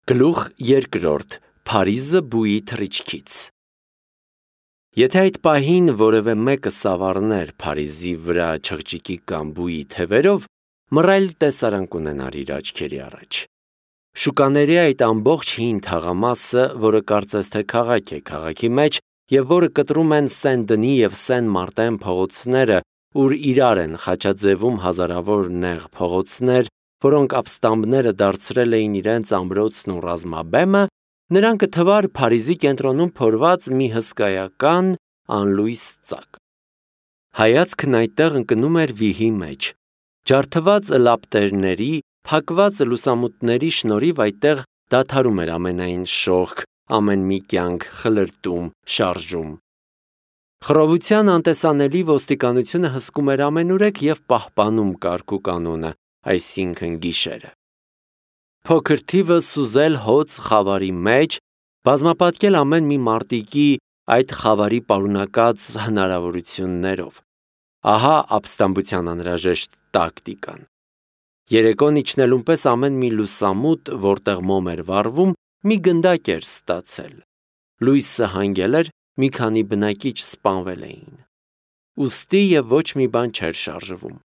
Գլուխ երկրորդ. Փարիզը բույի թռիչքից։ Եթե այդ պահին որևէ մեկը սավառներ Փարիզի վրա չղջիկի կամ բույի թևերով, մռայլ տեսարան կունենար իր աչքերի առաջ։ Շուկաների այդ ամբողջ հին թաղամասը, որը կարծես թե քաղաք է քաղաքի մեջ, եւ որը կտրում են Սեն-Դնի եւ Սեն-Մարտեն փողոցները, ուր իրար են խաչաձևում հազարավոր նեղ փողոցներ, որոնք ապստամբները դարձրել էին իրենց ամրոցն ու ռազմաբեմը, նրան կթվար Փարիզի կենտրոնում փորված մի հսկայական անլույս ծակ։ Հայացքն այդտեղ ընկնում էր վիհի մեջ։ Ջարդված լապտերների, փակված լուսամուտների շնորհիվ այդտեղ դադարում էր ամենայն շողք, ամեն մի կյանք, խլրտում, շարժում։ Խռովության անտեսանելի ոստիկանությունը հսկում էր ամենուրեք եւ պահպանում կարգ ու կանոնը, այսինքն գիշերը։ Փոքր թիվը սուզել հոծ խավարի մեջ, բազմապատկել ամեն մի մարտիկի այդ խավարի պարունակած հնարավորություններով։ Ահա ապստամբության անհրաժեշտ տակտիկան։ Երեկոն իջնելուն պես ամեն մի լուսամուտ, որտեղ մոմ էր վառվում, մի գնդակ էր ստացել։ Լույսը հանգել էր, մի քանի բնակիչ սպանվել էին։ Ուստի եւ ոչ մի բան չէր շարժվում։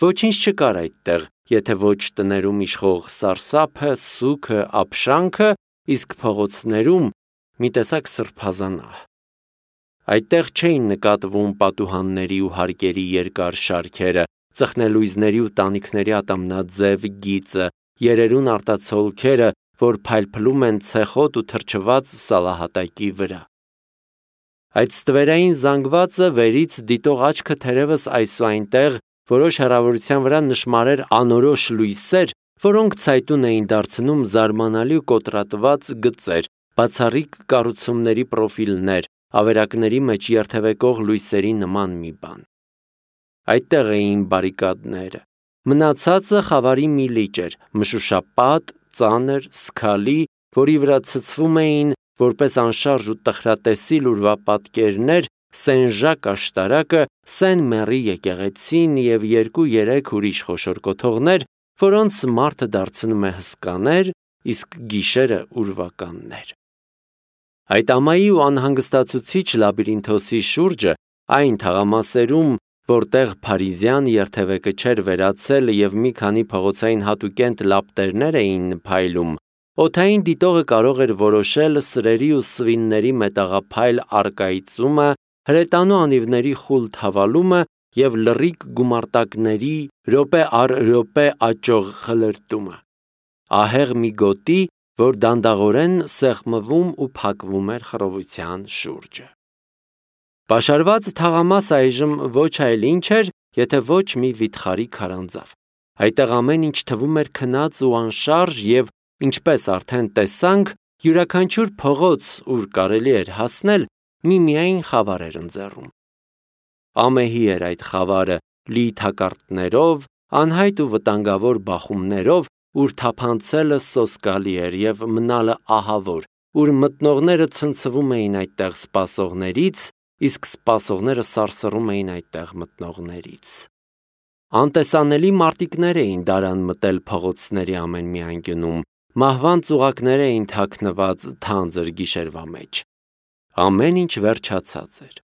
Ոչինչ չկար այդտեղ, եթե ոչ տներում իշխող սարսափը, սուքը, ապշանքը, իսկ փողոցներում մի տեսակ սրբազանահ։ Այդտեղ չէին նկատվում պատուհանների ու հարկերի երկար շարքերը, ծխնելույզների ու տանիքների ատամնաձև գիծը, երերուն արտացոլքերը, որ փայլփլում են ցեխոտ ու թրջված սալահատակի վրա։ Այդ ստվերային զանգվածը վերից դիտող աչքը թերևս այսուայնտեղ որոշ հեռավորության վրա նշմարեր անորոշ լույսեր, որոնք ցայտուն էին դարձնում զարմանալի ու կոտրատված գծեր, բացառիկ կառուցումների պրոֆիլներ, ավերակների մեջ երթևեկող լույսերի նման մի բան։ Այդտեղ էին բարիկադները։ Մնացածը խավարի մի լիճ էր, մշուշապատ, ծանր, սքալի, որի վրա ցցվում էին, որպես անշարժ ու տխրատեսիլ ուրվապատկերներ, Սեն-Ժակ աշտարակը, Սեն-Մերի եկեղեցին եւ 2-3 ուրիշ խոշոր կոթողներ, որոնց մարդը դարձնում է հսկաներ, իսկ գիշերը ուրվականներ։ Այդ ամայի ու անհանգստացուցիչ լաբիրինթոսի շուրջը, այն թաղամասերում, որտեղ փարիզյան երթևեկը չէր վերացել եւ մի քանի փողոցային հատուկենտ լապտերներ էին փայլում, օդային դիտողը կարող էր որոշել սրերի ու սվինների մետաղափայլ առկայծումը, հրետանու անիվների խուլ թավալումը եւ լռիկ գումարտակների րոպե առ րոպե աճող խլրտումը։ Ահեղ մի գոտի, որ դանդաղորեն սեղմվում ու փակվում էր խռովության շուրջը։ Պաշարված թաղամաս այժմ ոչ այլ ինչ էր, եթե ոչ մի վիթխարի քարանձավ։ Այդտեղ ամեն ինչ թվում էր քնած ու անշարժ եւ, ինչպես արդեն տեսանք, յուրաքանչյուր փողոց, ուր կարելի էր հասնել, միմիայն խավար էր ընձեռում։ Ամեհի էր այդ խավարը, լի թակարդներով, անհայտ ու վտանգավոր բախումներով, ուր թափանցելը սոսկալի էր եւ մնալը ահավոր, ուր մտնողները ցնցվում էին այդտեղ սպասողներից, իսկ սպասողները սարսռում էին այդտեղ մտնողներից։ Անտեսանելի մարտիկներ էին դարան մտել փողոցների ամեն մի անկյունում, մահվան ծուղակներ էին թաքնված թանձր գիշերվա մեջ։ Ամեն ինչ վերջացած էր։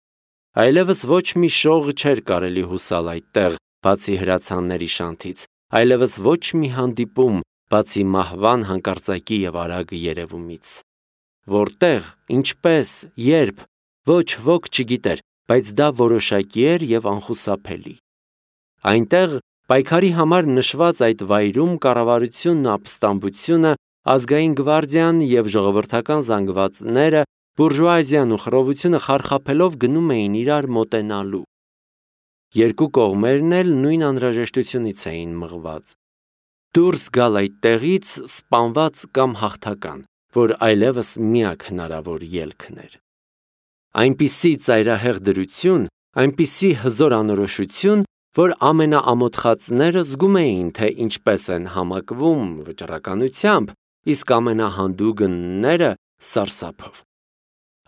Այլևս ոչ մի շող չէր կարելի հուսալ այդտեղ, բացի հրացանների շանթից, այլևս ոչ մի հանդիպում, բացի մահվան հանկարծակի եւ արագ երևումից։ Որտեղ, ինչպես, երբ, ոչ ոք չգիտեր, բայց դա որոշակի էր եւ անխուսափելի։ Այնտեղ պայքարի համար նշված այդ վայրում կառավարությունն ու ապստամբությունը, ազգային գվարդիան եւ ժողովրդական զանգվածները, բուրժուազիան ու խռովությունը խարխափելով գնում էին իրար մոտենալու։ Երկու կողմերն էլ նույն անհրաժեշտությունից էին մղված։ Դուրս գալ այդտեղից սպանված կամ հաղթական, որ այլևս միակ հնարավոր ելքն էր։ Այնպիսի ծայրահեղ դրություն, այնպիսի հզոր անորոշություն, որ ամենաամոթխածները զգում էին, թե ինչպես են համակվում վճռականությամբ, իսկ ամենահանդուգնները սարսափով։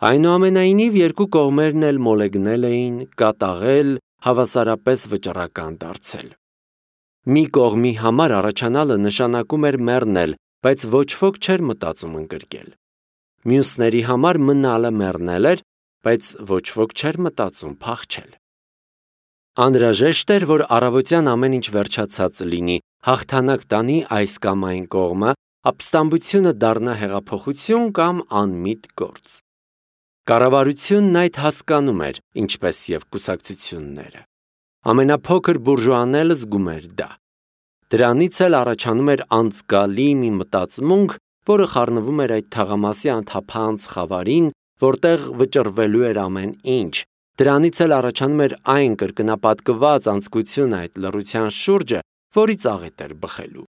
Այնուամենայնիվ երկու կողմերն էլ մոլեգնել էին, կատաղել, հավասարապես վճռական դարձել։ Մի կողմի համար առաջանալը նշանակում էր մեռնել, բայց ոչ ոք չէր մտածում ընկրկել։ Մյուսների համար մնալը մեռնել էր, բայց ոչ ոք չէր մտածում փախչել։ Անհրաժեշտ էր, որ առավոտյան ամեն ինչ վերջացած լինի, հաղթանակ տանի այս կամ այն կողմը, ապստամբությունը դառնա հեղափոխություն կամ անմիտ գործ։ Կառավարությունն այդ հասկանում էր, ինչպես և կուսակցությունները։ Ամենափոքր բուրժուան էլ զգում էր դա։ Դրանից էլ առաջանում էր անցկալի մի մտածմունք, որը խառնվում էր այդ թաղամասի անթափանց խավարին, որտեղ վճռվելու էր ամեն ինչ։ Դրանից էլ առաջանում էր այն կրկնապատկված անձկությունը այդ լռության շուրջը, որից աղետ էր բխելու։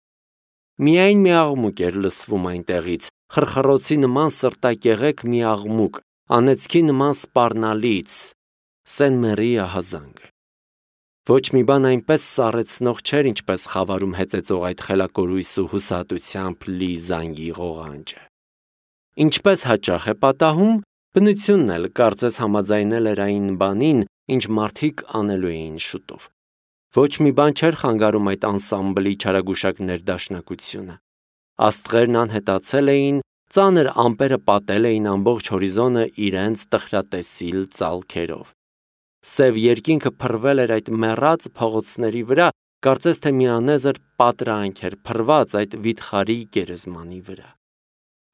Միայն մի աղմուկ էր լսվում այնտեղից, խրխռոցի նման սրտակեղեք մի աղմուկ, անեծքի նման սպառնալից, Սեն-Մերիի ահազանգը։ Ոչ մի բան այնպես սառեցնող չէր, ինչպես խավարում հեծեծող այդ խելակորույս ու հուսահատությամբ լի զանգի ղողանջը։ Ինչպես հաճախ է պատահում, բնությունն էլ կարծես համաձայնել էր այն բանին, ինչ մարդիկ անելու էին շուտով։ Ոչ մի բան չէր խանգարում այդ անսամբլի չարագուշակ ներդաշնակությունը։ Աստղերն անհետացել էին, ծանր ամպերը պատել էին ամբողջ հորիզոնը իրենց տխրատեսիլ ծալքերով։ Սև երկինքը փռվել էր այդ մեռած փողոցների վրա, կարծես թե մի անեզր պատրանք էր փռված այդ վիթխարի գերեզմանի վրա։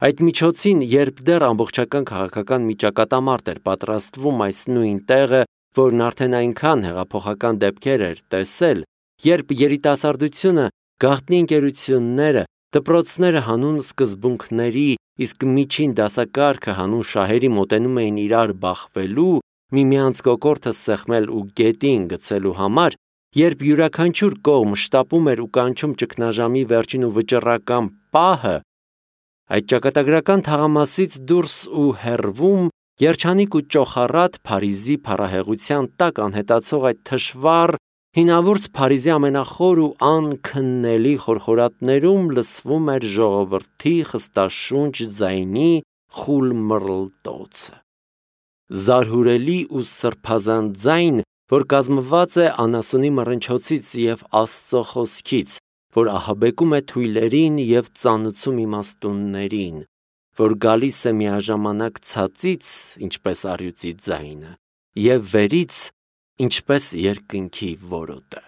Այդ միջոցին, երբ դեռ ամբողջական քաղաքական մի ճակատամարտ էր պատրաստվում այս նույն տեղը, որն արդեն այնքան հեղափոխական դեպքեր էր տեսել, երբ երիտասարդությունը, գաղտնի ընկերությունները, դպրոցները հանուն սկզբունքների, իսկ միջին դասակարգը հանուն շահերի մոտենում էին իրար բախվելու, միմյանց կոկորդը սեղմել ու գետին գցելու համար, երբ յուրաքանչյուր կողմ շտապում էր ու կանչում ճգնաժամի վերջին ու վճռական պահը, այդ ճակատագրական թաղամասից դուրս ու հեռվում, երջանիկ ու ճոխառատ Փարիզի փառահեղության տակ անհետացող այդ թշվառ, հինավուրց Փարիզի ամենախոր ու անքննելի խորխորատներում լսվում էր ժողովրդի խստաշունչ ձայնի խուլ մռլտոցը։ Զարհուրելի ու սրբազան ձայն, որ կազմված է անասունի մռնչոցից և Աստծո խոսքից, որ ահաբեկում է թույլերին և ծանուցում իմաստուններին, որ գալիս է միաժամանակ ցածից, ինչպես առյուծի ձայնը, և վերից, ինչպես երկնքի որոտը։